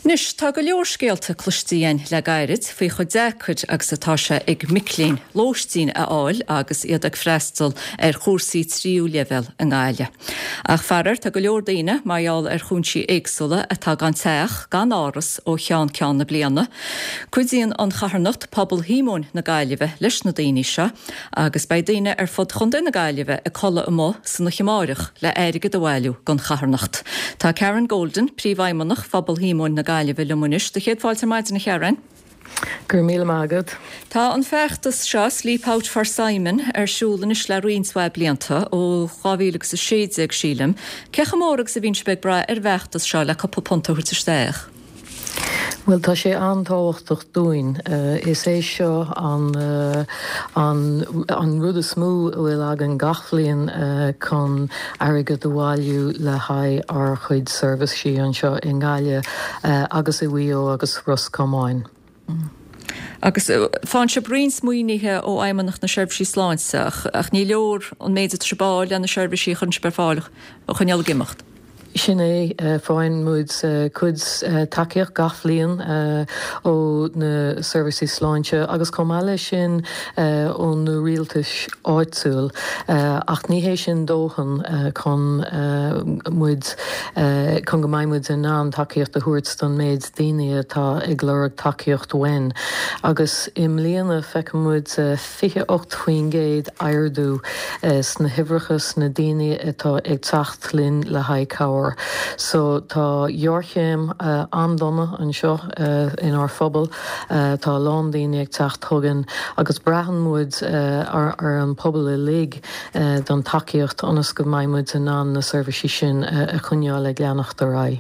Anois, tá go leor scéalta cloiste againn le gairid faoi chomh deacair agus atá sé ag mic léinn lóistín a fháil agus iad ag freastal ar chúrsaí tríú leibhéal i nGaillimh. Ach faraor, tá go leor daoine, mar gheall ar chúinsí éagsúla, atá gan teach, gan áras ó cheann ceann na bliana. Cuidíonn an charthanacht Pobal Shíomóin na Gaillimhe leis na daoine seo agus beidh daoine ar fud Chontae na Gaillimhe ag codladh amuigh san oíche amáireach le airgead a bhailiú don charthanacht. Tá Karen Golden, Príomhfheidhmeannach Phobal Shíomóin na Gaillimhe liom anois. Do chéad fáilte ar maidin a Karen. Go raibh míle maith agat. Tá an feachtas seo, Sleep Out for Simon, ar siúl anois le roinnt mhaith blianta, ó 2016 sílim. Cé chomh mór agus a bhíonn sibh ag brath ar an bhfeachtas seo le cúpla punt a thabhairt isteach? Bhuel, tá sé an-tábhachtach dúinn. Is é seo an an rud is mó a bhfuil againn gach bhliain chun airgead a bhailiú le haghaidh ár chuid seirbhísí anseo i nGaillimh agus i Mhaigh Eo agus Ros Comáin. Agus faigheann sibh roinnt maoinithe ó Fheidhmeannacht na Seirbhísí Sláinte ach ní leor an méid atá sibh a fháil le na seirbhísí a chuireann sibh ar fáil a choinneáil ag imeacht. Sin é, faigheann muid cuid tacaíocht gach bhliain ó na seirbhísí sláinte agus chomh maith leis sin ó na rialtais áitiúil ach ní hé sin dóthain chun muid, chun go mbeidh muid in ann tacaíocht a thabhairt don méid daoine atá ag lorg tacaíocht uainn. Agus i mbliana feiceann muid 28% ardú sna huimhreacha sna daoine atá ag teacht linn le haghaidh cabhair. So tá géarchéim an-dona anseo inár phobal. Tá a lán daoine ag teacht chugainn agus braitheann muid ar an pobal uilig don tacaíocht ionas go mbeidh muid in ann na seirbhísí sin a choinneáil ag leanacht ar aghaidh.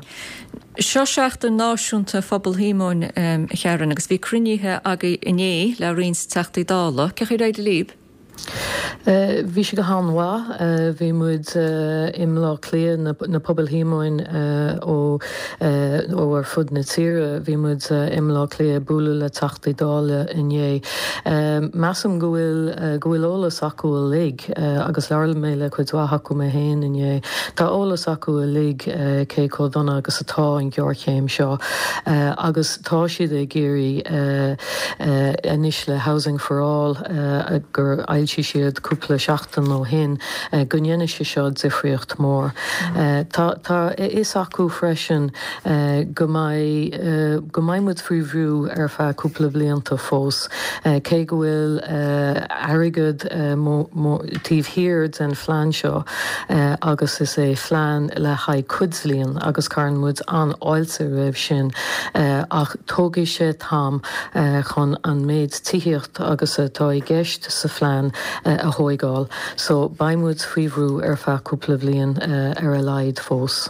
Seo Seachtain Náisiúnta Phobal Shíomóin, a Karen, agus bhí cruinnithe agaibh inné le roinnt Teachtaí Dála. Cén chaoi ar éirigh libh? Bhí sé go han-mhaith. Bhí muid i mBleá Cliath, na Pobail Shíomóin ó ó ar fud na tíre, bhí muid i mBleá Cliath ag bualadh le Teachtaí Dála inné. Measaim go bhfuil go bhfuil eolas acu uilig agus labhair mé le cuid mhaith acu mé féin inné. Tá eolas acu uilig cé chomh dona agus atá an ghéarchéim seo agus tá siad ag iarraidh anois le Housing for All gur fhoilsigh siad cúpla seachtain ó shin go ndéanfaidh sé seo difríocht mór. Tá tá a fhios acu freisin go mbeidh go mbeidh muid faoi bhrú ar feadh cúpla blianta fós cé go bhfuil airgead taobh thiar den phlean seo agus is é phlean le haghaidh cuid bhliain agus cuireann muid an-fháilte roimh sin ach tógfaidh sé t-am chun an méid tithíocht agus atá i gceist sa phlean a thóigeáil so beidh muid faoi bhrú ar feadh cúpla bhliain ar a laghad fós.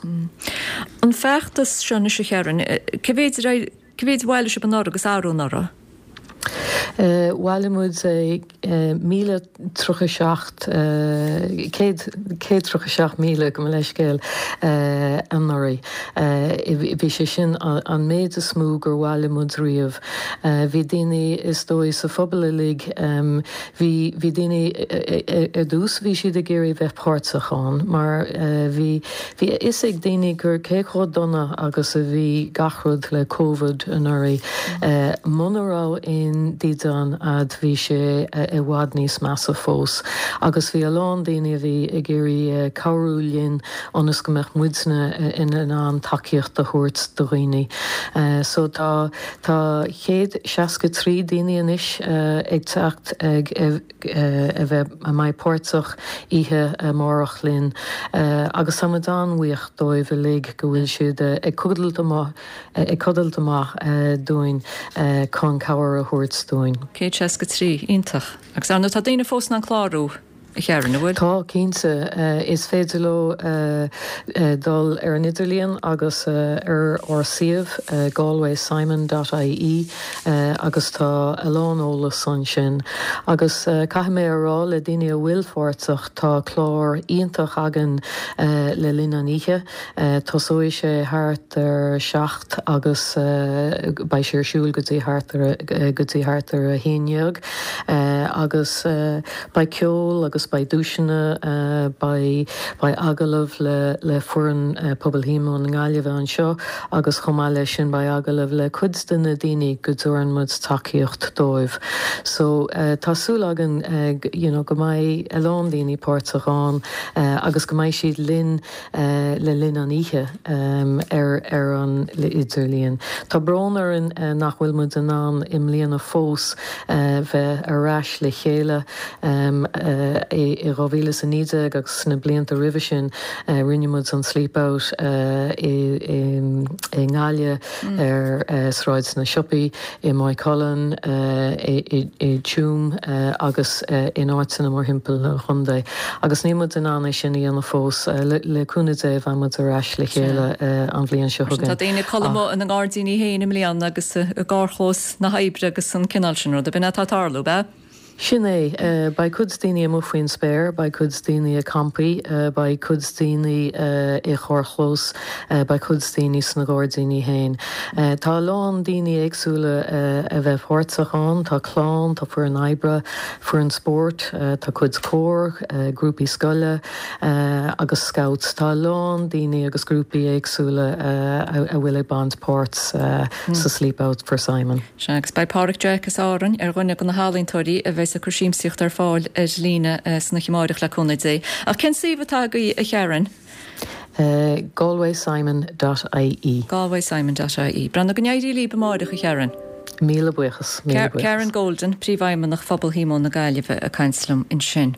An feachtas seo anois a Karen, cé mhéid cé mhéid a bhailigh sibh anuraidh agus arú anuraidh? Bhailigh muid 1,037, 137,000, gabh mo leithscéal, anuraidh. Bhí sé sin an méid is mó gur bhailigh muid riamh. Bhí daoine is dóigh sa phobal uilig, bhí, bhí daoine ar dtús bhí siad ag iarraidh bheith páirteach ann mar bhí, Bhí a fhios ag daoine gur cé chomh dona agus a bhí gach rud le Covid anuraidh, muna raibh aon dídean a'd bhí sé i bhfad níos measa fós. Agus bhí a lán daoine a bhí ag iarraidh cabhrú linn ionas go mbeadh muidne in ann tacaíocht a thabhairt do dhaoine. So tá tá 163 daoine anois ag teacht ag a bheith a mbeidh páirteach oíche amárach linn agus tá muid an-bhuíoch dóibh uilig go bhfuil siad ag codailt amuigh ag codailt amach dúinn chun cabhair a thabhairt dúinn. 163, iontach. Agus ar ndóigh tá daoine fós in ann clárú, a Karen, an bhfuil? Tá, cinnte. Is féidir leo dul ar an idirlíon agus ar ár suíomh galwaysimon dot ie. agus tá a lán eolas ansin. Agus caithfidh mé a rá le daoine a bhfuil pháirteach, tá clár iontach againn le linn an oíche. Tosóidh sé thart ar 7 agus beidh sé ar siúl go dtí thart ar go dtí thart ar 11 agus beidh ceol agus. agus beidh duaiseanna, beidh beidh agallamh le le foireann Pobal Shíomóin na Gaillimhe anseo agus chomh maith leis sin beidh agallamh le cuid de na daoine go dtabharann muid tacaíocht dóibh. So tá súil againn you know go mbeidh a lán daoine páirteach ann agus go mbeidh siad linn le linn an oíche ar ar an idirlíon. Tá brón orainn nach bhfuil muid in ann i mbliana fós bheith ar ais le chéile. I 2019 agus sna blianta roimhe sin rinne muid an Sleep Out i nGaillimh ar Sráid na Siopaí. i Maigh Cuilinn, i dTuaim agus in áiteanna mórthimpeall an chontae. Agus níl muid in ann é sin a dhéanamh fós. Le cúnamh Dé beidh muid ar ais le chéile an bhliain seo chugainn. Tá daoine ag codladh amuigh ina ngairdíní féin i mbliana agus i gcarrchlós na hoibre agus an cineál sin ruda. B'in é atá ag tarlú, ab ea? Sin é. Beidh cuid daoine amuigh faoin spéir, beidh cuid daoine ag campaí, beidh cuid daoine i gcarrchlós, beidh cuid daoine sna gairdíní féin. Tá a lán daoine éagsúla a bheith páirteach ann, tá clann, tá foireann oibre, foireann spóirt, tá cuid cór, grúpaí scoile agus scouts. Tá a lán daoine agus grúpaí éagsúla a bhfuil ag baint páirt sa Sleep Out for Simon. Sea, agus beidh Páraic Jeaic as Árainn ar dhuine de na healaíontóirí a bheas ag cur siamsaíocht ar fáil ar líne san oíche amáireach, le cúnamh Dé. Ach cén suíomh atá agaibh, a Sharon? Galwaysimon dot ie. Galwaysimon dot ie. Breathnaigh, go n-éirí libh amáireach, a Sharon. Míle buíochas, míle buíochas. Karen Golden, Príomhfheidhmeannach Phobal Shíomóin na Gaillimhe ag caint liom ansin.